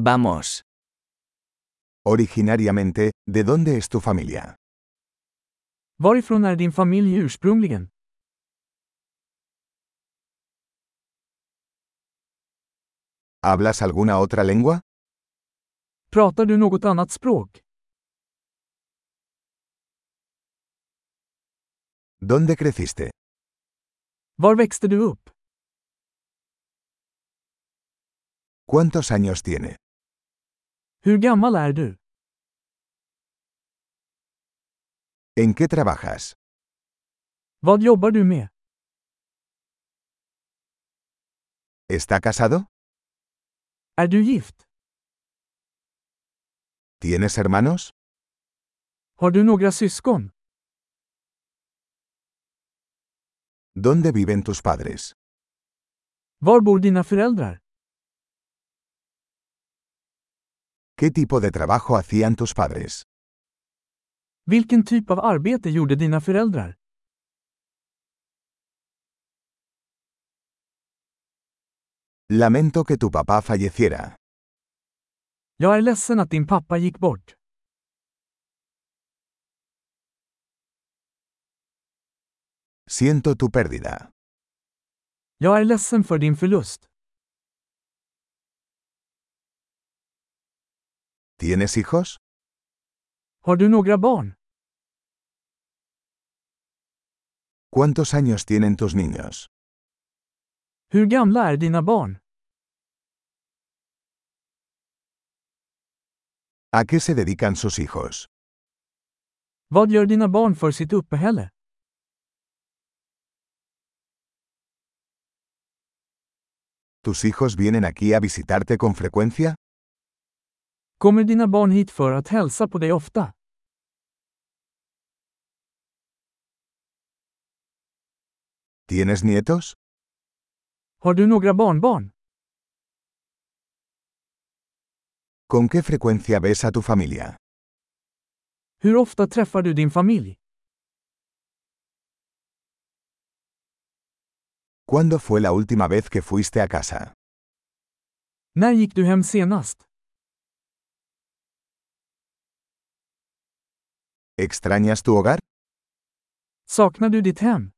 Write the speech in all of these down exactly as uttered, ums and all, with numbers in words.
Vamos. Originariamente, ¿de dónde es tu familia? Varifrån är din familj ursprungligen? ¿Hablas alguna otra lengua? Pratar du något annat språk? ¿Dónde creciste? Var växte du upp? ¿Cuántos años tiene? Hur gammal är du? ¿En qué trabajas? Vad jobbar du med? ¿Está casado? Är du gift? ¿Tienes hermanos? Har du några syskon? ¿Dónde viven tus padres? Var bor dina föräldrar? ¿Qué tipo de trabajo hacían tus padres? Vilken typ av arbete gjorde dina föräldrar? Lamento que tu papá falleciera. Jag är ledsen att din pappa gick bort. Siento tu pérdida. Jag är ledsen för din förlust. ¿Tienes hijos? Har du några barn? ¿Cuántos años tienen tus niños? Hur gamla är dina barn? ¿A qué se dedican sus hijos? Vad gör dina barn för sitt uppehälle? ¿Tus hijos vienen aquí a visitarte con frecuencia? Kommer dina barn hit för att hälsa på dig ofta? ¿Tienes nietos? Har du några barnbarn? ¿Con qué frecuencia ves a tu familia? Hur ofta träffar du din familj? ¿Cuándo fue la última vez que fuiste a casa? När gick du hem senast? ¿Extrañas tu hogar? Saknar du ditt hem?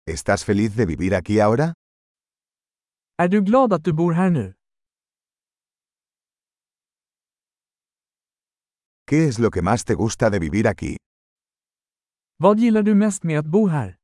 ¿Estás feliz de vivir aquí ahora? Är du glad att du bor här nu? ¿Qué es lo que más te gusta de vivir aquí? Vad gillar du mest med att bo här?